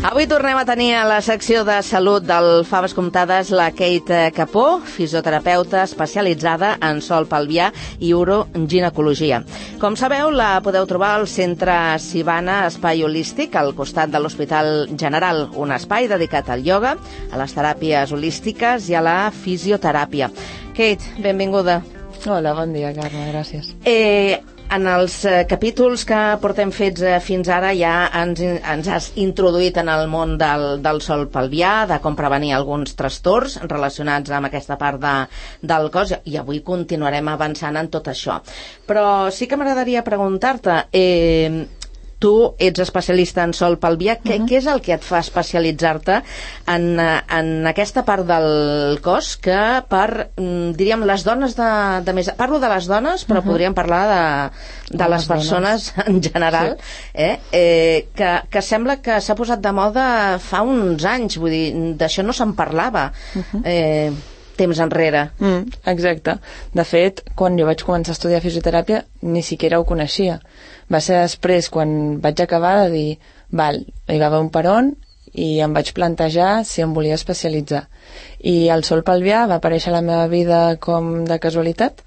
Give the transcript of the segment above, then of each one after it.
Avui tornem a tenir a la secció de salut del Faves Comptades la Kate Capó, fisioterapeuta especialitzada en sol pelvià i uroginecologia. Com sabeu, la podeu trobar al Centre Sivana Espai Holístic, al costat de l'Hospital General, un espai dedicat al ioga, a les teràpies holístiques i a la fisioteràpia. Kate, benvinguda. Hola, bon dia, Carme, gràcies. En els capítols que portem fets fins ara ja ens has introduït en el món del sol pelvià, de com prevenir alguns trastorns relacionats amb aquesta part del cos, i avui continuarem avançant en tot això. Però sí que m'agradaria preguntar-te, tu ets especialista en sol pelvià, què és el que et fa especialitzar-te en aquesta part del cos que diríem, les dones de més... Parlo de les dones, però podríem parlar de les persones en general, que sembla que s'ha posat de moda fa uns anys, vull dir, d'això no se'n parlava temps enrere. Exacte. De fet, quan jo vaig començar a estudiar fisioteràpia, ni siquiera ho coneixia. Va ser després, quan vaig acabar, de dir, val, hi va haver un peron i em vaig plantejar si em volia especialitzar. I el sol pelvià va aparèixer a la meva vida com de casualitat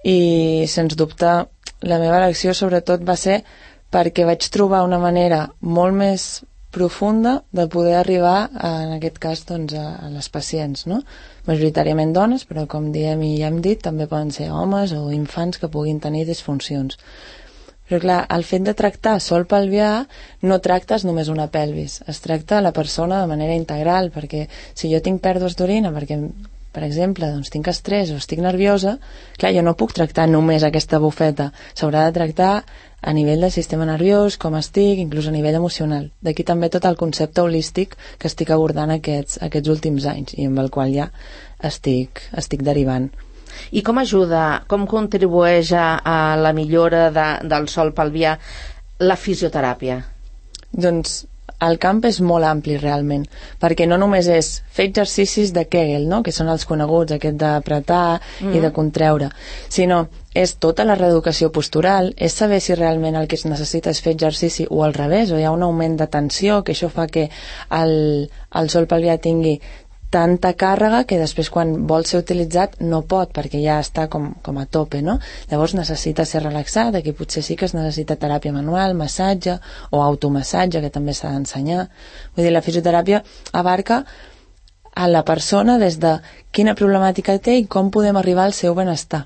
i, sens dubte, la meva elecció sobretot va ser perquè vaig trobar una manera molt més profunda de poder arribar, en aquest cas, doncs, a les pacients, no? Majoritàriament dones, però com diem i ja hem dit, també poden ser homes o infants que puguin tenir disfuncions. Però clar, el fet de tractar sol pelvià no tractes només una pelvis, es tracta la persona de manera integral, perquè si jo tinc pèrdues d'orina, perquè, per exemple, doncs tinc estrès o estic nerviosa, clar, jo no puc tractar només aquesta bufeta, s'haurà de tractar a nivell del sistema nerviós, com estic, inclús a nivell emocional. D'aquí també tot el concepte holístic que estic abordant aquests últims anys i amb el qual ja estic derivant. I com ajuda, com contribueix a la millora del sol pelvià la fisioteràpia? Doncs el camp és molt ampli realment, perquè no només és fer exercicis de Kegel, no? Que són els coneguts, aquest d'apretar i de contreure, sinó és tota la reeducació postural, és saber si realment el que es necessita és fer exercici o al revés, o hi ha un augment de tensió, que això fa que el sol pelvià tingui tanta càrrega que després quan vol ser utilitzat no pot, perquè ja està com a tope, no? Llavors necessita ser relaxat, aquí potser sí que es necessita teràpia manual, massatge o automassatge, que també s'ha d'ensenyar. Vull dir, la fisioteràpia abarca a la persona des de quina problemàtica té i com podem arribar al seu benestar.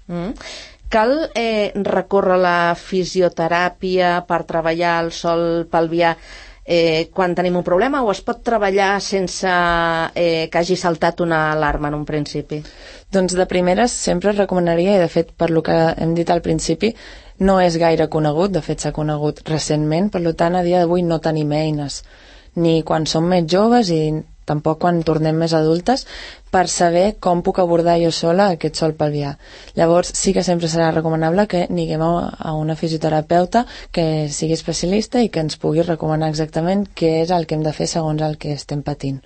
Cal recórrer la fisioteràpia per treballar el sol pelvià quan tenim un problema, o es pot treballar sense que hagi saltat una alarma en un principi? Doncs de primeres sempre recomanaria, i de fet per lo que hem dit al principi no és gaire conegut, de fet s'ha conegut recentment, per tant a dia d'avui no tenim eines, ni quan som més joves i tampoc quan tornem més adultes, per saber com puc abordar jo sola aquest sol pelvià. Llavors sí que sempre serà recomanable que aniguem a una fisioterapeuta que sigui especialista i que ens pugui recomanar exactament què és el que hem de fer segons el que estem patint.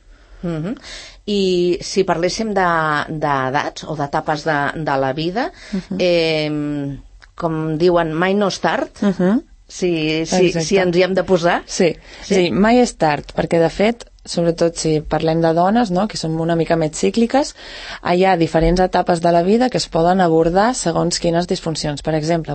I si parléssim d'edats o d'etapes de la vida, com diuen, mai no és tard, si ens hi hem de posar? Sí, mai és tard, perquè de fet sobretot si parlem de dones, no?, que som una mica més cícliques, hi ha diferents etapes de la vida que es poden abordar segons quines disfuncions. Per exemple,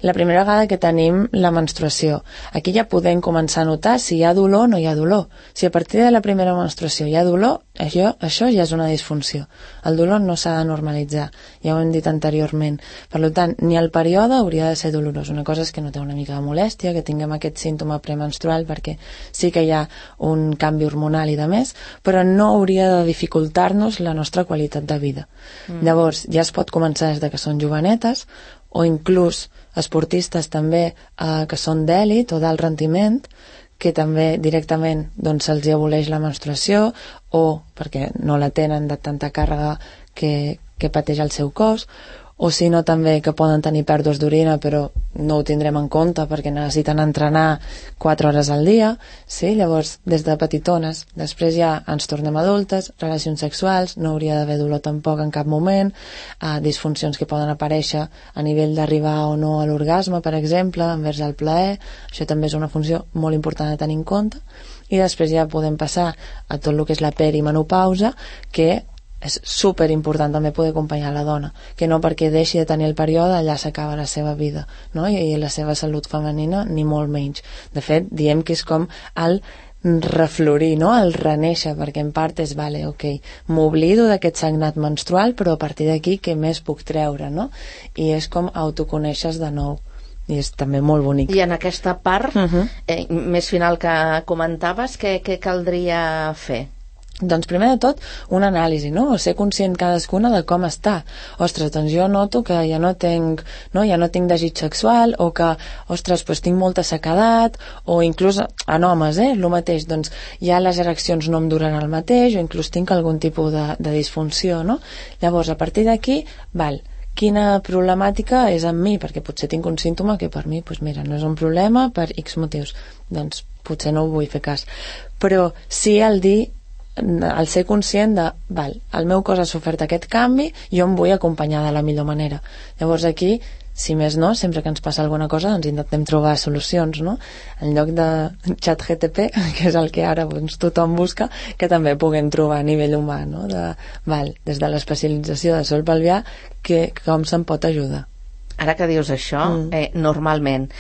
la primera vegada que tenim la menstruació, aquí ja podem començar a notar si hi ha dolor o no hi ha dolor. Si a partir de la primera menstruació hi ha dolor, això ja és una disfunció. El dolor no s'ha de normalitzar, ja ho hem dit anteriorment. Per tant, ni el període hauria de ser dolorós. Una cosa és que no té una mica de molèstia, que tinguem aquest símptoma premenstrual, perquè sí que hi ha un canvi hormonal i de més, però no hauria de dificultar-nos la nostra qualitat de vida. Llavors, ja es pot començar des de que són jovenetes, o inclús esportistes també que són d'èlit o d'alt rendiment, que també directament doncs, se'ls aboleix la menstruació, o perquè no la tenen de tanta càrrega que pateix el seu cos, o si no també que poden tenir pèrdues d'orina però no ho tindrem en compte perquè necessiten entrenar 4 hores al dia, sí? Llavors des de petitones, després ja ens tornem adultes, relacions sexuals, no hauria d'haver dolor tampoc en cap moment, disfuncions que poden aparèixer a nivell d'arribar o no a l'orgasme, per exemple, envers el plaer, això també és una funció molt important a tenir en compte, i després ja podem passar a tot el que és la perimenopausa, que és super important també poder acompanyar la dona, que no perquè deixi de tenir el període allà s'acaba la seva vida, no? I la seva salut femenina ni molt menys. De fet, diem que és com el reflorir, no? El reneixer, perquè en part és, vale, ok, m'oblido d'aquest sagnat menstrual, però a partir d'aquí què més puc treure, no? I és com autoconeixes de nou. I és també molt bonic. I en aquesta part més final que comentaves, què caldria fer? Doncs primer de tot una anàlisi, no? O ser conscient cadascuna de com està. Ostres, doncs jo noto que ja no tinc desig sexual, o que, ostres, doncs tinc molta sequedat, o inclús en homes, el mateix, doncs ja les ereccions no em duren el mateix, o inclús tinc algun tipus de disfunció, no? Llavors, a partir d'aquí, quina problemàtica és en mi, perquè potser tinc un símptoma que per mi, doncs mira, no és un problema per X motius, doncs potser no ho vull fer cas, però sí al ser conscient de, el meu cos ha sofert aquest canvi, jo em vull acompanyar de la millor manera. Llavors aquí, si més no, sempre que ens passa alguna cosa, doncs intentem trobar solucions, no? En lloc de ChatGPT, que és el que ara tothom busca, que també puguem trobar a nivell humà, no? Des de l'especialització de sol pelvià, com se'n pot ajudar. Ara que dius això, normalment,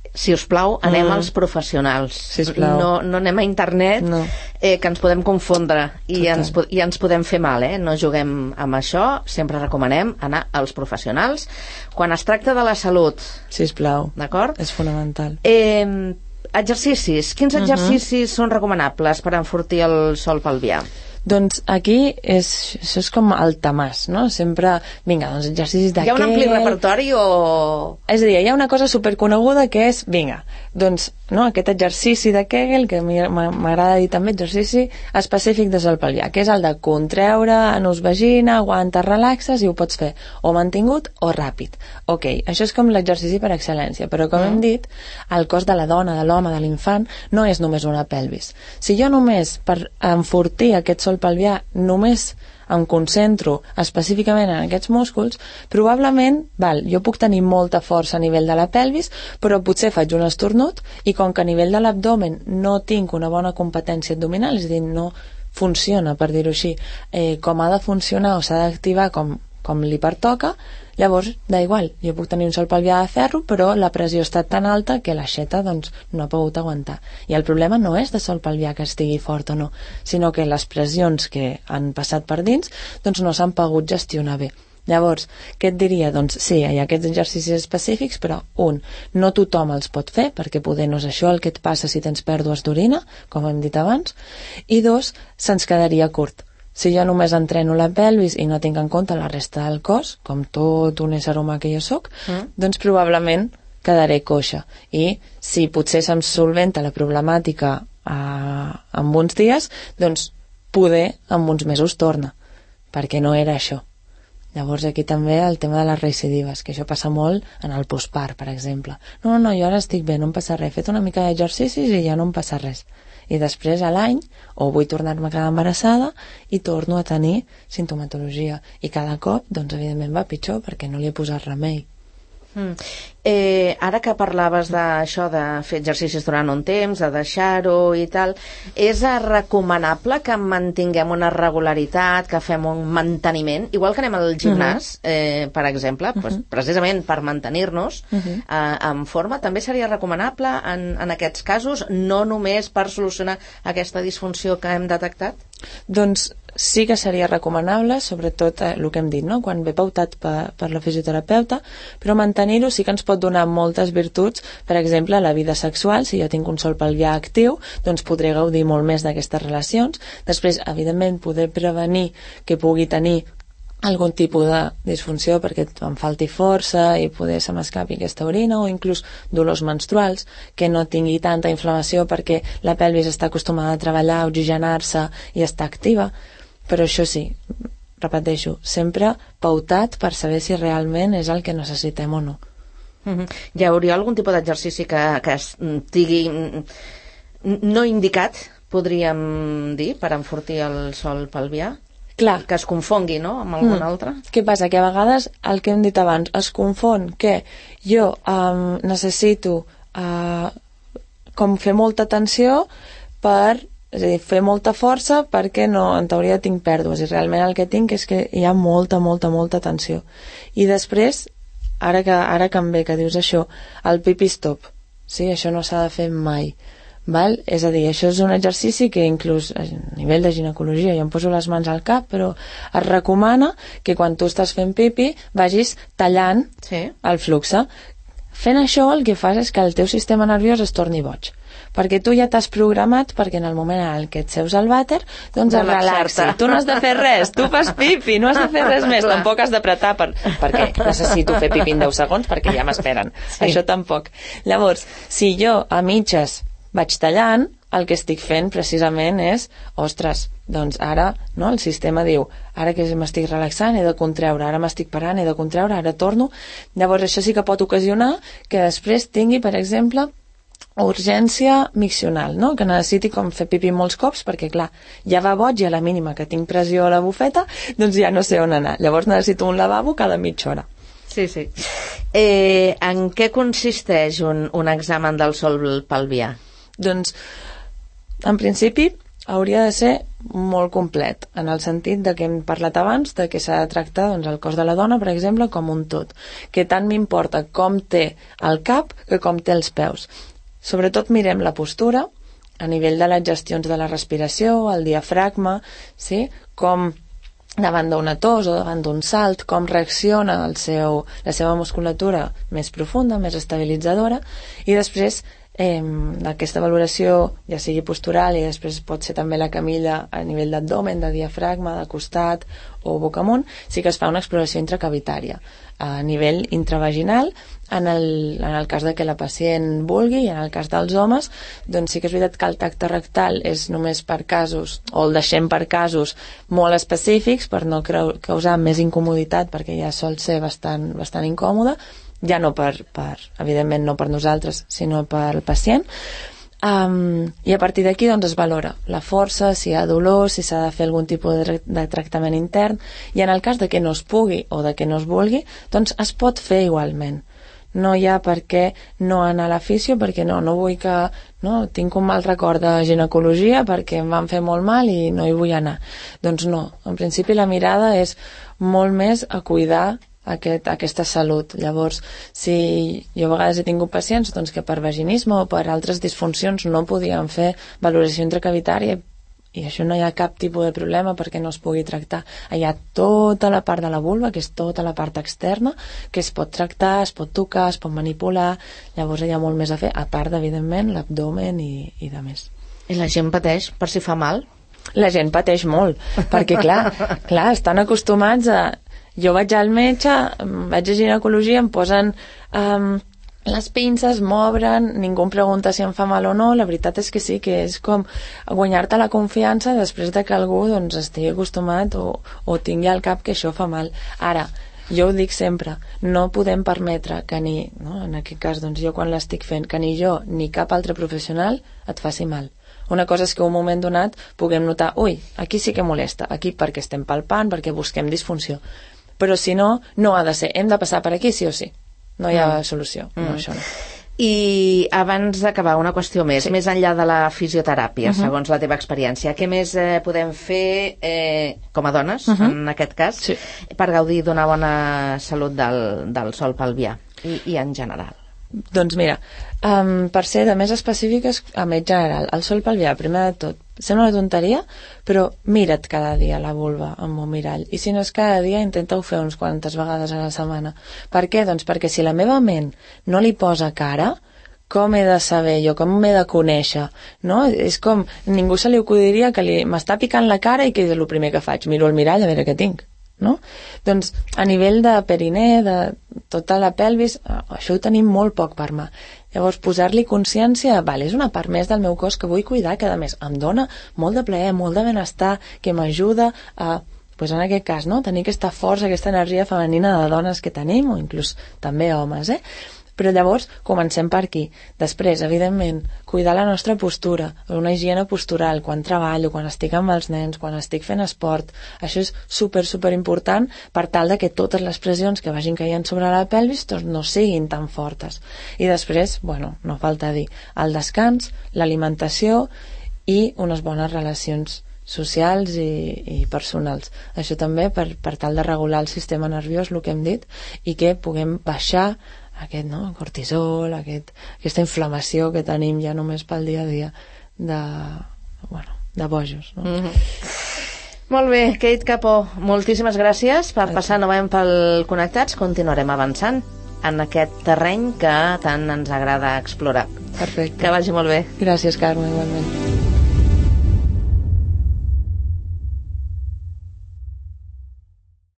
si us plau, anem als professionals. No anem a internet, que ens podem confondre i ens podem fer mal, no juguem amb això. Sempre recomanem anar als professionals quan es tracta de la salut. Sisplau, d'acord? És fonamental. Exercicis. Quins exercicis són recomanables per enfortir el sòl pelvià? Doncs aquí això és com el tamàs, no? Sempre, vinga, doncs exercicis d'aquell... Hi ha un ampli repertori o...? És a dir, hi ha una cosa superconeguda que és, vinga, doncs, no, aquest exercici d'aquell, que m'agrada dir també exercici específic de sòl pelvià, que és el de contreure, anus vagina, aguanta, relaxes, i ho pots fer o mantingut o ràpid. Ok, això és com l'exercici per excel·lència, però com hem dit, el cos de la dona, de l'home, de l'infant, no és només una pelvis. Si jo només, per enfortir aquest sòl pelvià, només em concentro específicament en aquests músculs, probablement, jo puc tenir molta força a nivell de la pelvis, però potser faig un esternut i com que a nivell de l'abdomen no tinc una bona competència abdominal, és a dir, no funciona, per dir-ho així, com ha de funcionar o s'ha d'activar com li pertoca, llavors, igual, jo puc tenir un sòl pelvià de ferro, però la pressió ha estat tan alta que l'aixeta doncs, no ha pogut aguantar. I el problema no és de sòl pelvià que estigui fort o no, sinó que les pressions que han passat per dins doncs no s'han pogut gestionar bé. Llavors, què et diria? Doncs sí, hi ha aquests exercicis específics, però no tothom els pot fer, perquè poder no és això el que et passa si tens pèrdues d'orina, com hem dit abans, i se'ns quedaria curt. Si jo només entreno la pelvis i no tinc en compte la resta del cos, com tot un ésser humà que jo soc, doncs probablement quedaré coixa. I si potser se'm solventa la problemàtica en uns dies, doncs poder en uns mesos torna, perquè no era això. Llavors aquí també el tema de les recidives, que això passa molt en el postpart, per exemple. No, jo ara estic bé, no em passa res, he fet una mica d'exercicis i ja no em passa res. I després a l'any, o vull tornar-me a quedar embarassada i torno a tenir sintomatologia. I cada cop, doncs evidentment va pitjor perquè no li he posat remei. Ara que parlaves d'això de fer exercicis durant un temps, de deixar-ho i tal, és recomanable que mantinguem una regularitat, que fem un manteniment, igual que anem al gimnàs, per exemple, precisament per mantenir-nos en forma, també seria recomanable en aquests casos, no només per solucionar aquesta disfunció que hem detectat? Doncs sí que seria recomanable, sobretot el que hem dit, no? Quan ve pautat per la fisioterapeuta, però mantenir-ho sí que ens pot donar moltes virtuts, per exemple, la vida sexual. Si jo tinc un sòl pelvià actiu, doncs podré gaudir molt més d'aquestes relacions. Després, evidentment, poder prevenir que pugui tenir algun tipus de disfunció perquè em falti força i poder se m'escapi aquesta orina, o inclús dolors menstruals, que no tingui tanta inflamació perquè la pelvis està acostumada a treballar, a oxigenar-se i està activa. Però això sí, repeteixo, sempre pautat per saber si realment és el que necessitem o no. Hi hauria algun tipus d'exercici que estigui no indicat, podríem dir, per enfortir el sòl pelvià? Clar. Que es confongui, no?, amb algun altre? Què passa? Que a vegades el que hem dit abans es confon que jo necessito com fer molta tensió és a dir, fer molta força perquè no, en teoria tinc pèrdues, i realment el que tinc és que hi ha molta tensió. I després, ara que em ve que dius això, el pipi stop, sí? Això no s'ha de fer mai. Val? És a dir, això és un exercici que inclús a nivell de ginecologia, jo em poso les mans al cap, però es recomana que quan tu estàs fent pipi vagis tallant el flux. Fent això el que fas és que el teu sistema nerviós es torni boig, perquè tu ja t'has programat perquè en el moment en què et seus al vàter doncs es relaxi, tu no has de fer res, tu fas pipi, no has de fer res més, tampoc has d'apretar perquè necessito fer pipi en 10 segons perquè ja m'esperen, això tampoc. Llavors, si jo a mitges vaig tallant, el que estic fent precisament és, ostres, doncs ara, no, el sistema diu, ara que m'estic relaxant he de contreure, ara m'estic parant, he de contreure, ara torno. Llavors això sí que pot ocasionar que després tingui, per exemple, urgència miccional, no? Que necessiti com fer pipi molts cops perquè, clar, ja va boig i a la mínima que tinc pressió a la bufeta, doncs ja no sé on anar. Llavors necessito un lavabo cada mitja hora. Sí. En què consisteix un examen del sòl pelvià? Doncs, en principi, hauria de ser molt complet, en el sentit de que hem parlat abans de que s'ha de tractar doncs, el cos de la dona, per exemple, com un tot. Que tant m'importa com té el cap que com té els peus. Sobretot mirem la postura, a nivell de les gestions de la respiració, el diafragma, sí? Com davant d'una tos o davant d'un salt, com reacciona la seva musculatura més profunda, més estabilitzadora, i després aquesta valoració, ja sigui postural i després pot ser també la camilla a nivell d'abdomen, de diafragma, de costat o boca amunt, sí que es fa una exploració intracavitària a nivell intravaginal en el cas de que la pacient vulgui, i en el cas dels homes doncs sí que és veritat que el tacte rectal és només per casos, o el deixem per casos molt específics per no causar més incomoditat perquè ja sol ser bastant incòmode, ja no evidentment no per nosaltres, sinó per el pacient. I a partir d'aquí doncs es valora la força, si hi ha dolor, si s'ha de fer algun tipus de tractament intern, i en el cas de que no es pugui o de que no es vulgui, doncs es pot fer igualment. No hi ha per què no anar a la fisio, perquè no vull que... No, tinc un mal record de ginecologia perquè em van fer molt mal i no hi vull anar. Doncs no, en principi la mirada és molt més a cuidar aquesta salut. Llavors, si jo a vegades he tingut pacients doncs, que per vaginisme o per altres disfuncions no podien fer valoració intracavitària, i això no hi ha cap tipus de problema perquè no es pugui tractar. Hi ha tota la part de la vulva, que és tota la part externa, que es pot tractar, es pot tocar, es pot manipular, llavors hi ha molt més a fer, a part, evidentment, l'abdomen i de més. I la gent pateix per si fa mal? La gent pateix molt, perquè clar, estan acostumats a... Jo vaig al metge, vaig a ginecologia, em posen les pinces, m'obren, ningú em pregunta si em fa mal o no. La veritat és que sí, que és com guanyar-te la confiança després de que algú doncs, estigui acostumat o tingui al cap que això fa mal. Ara, jo ho dic sempre, no podem permetre que en aquest cas, doncs jo quan l'estic fent, que ni jo ni cap altre professional et faci mal. Una cosa és que en un moment donat puguem notar, aquí sí que molesta, aquí perquè estem palpant, perquè busquem disfunció. Però si no, no ha de ser. Hem de passar per aquí sí o sí. No hi ha solució. No, això no. I abans d'acabar, una qüestió més. Sí. Més enllà de la fisioteràpia, segons la teva experiència, què més podem fer com a dones, en aquest cas, per gaudir d'una bona salut del sòl pelvià i en general? Doncs mira, per ser de més específiques, a més general, el sòl pelvià, primer de tot, sembla una tonteria, però mira't cada dia la vulva amb un mirall, i si no és cada dia, intenta-ho fer uns quantes vegades a la setmana. Per què? Doncs perquè si la meva ment no li posa cara, com he de saber jo, com m'he de conèixer, no? És com, ningú se li acudiria que m'està picant la cara i que és el primer que faig, miro el mirall a veure què tinc. No? Doncs a nivell de perinè, de tota la pelvis, això ho tenim molt poc per mà. Llavors posar-li consciència, és una part més del meu cos que vull cuidar, que a més em dona molt de plaer, molt de benestar, que m'ajuda a pues en aquest cas, no? Tenir aquesta força, aquesta energia femenina de dones que tenim, o inclús també homes, Però llavors comencem per aquí. Després, evidentment, cuidar la nostra postura, una higiene postural, quan treballo, quan estic amb els nens, quan estic fent esport. Això és super important per tal de que totes les pressions que vagin caient sobre la pelvis no siguin tan fortes. I després, no falta dir, el descans, l'alimentació i unes bones relacions socials i personals. Això també per tal de regular el sistema nerviós, el que hem dit, i que puguem baixar aquest cortisol, aquesta inflamació que tenim ja només pel dia a dia de bojos. Molt bé, Kate Capó, moltíssimes gràcies per passar novament pel Connectats. Continuarem avançant en aquest terreny que tant ens agrada explorar. Perfecte. Que vagi molt bé. Gràcies, Carme, igualment.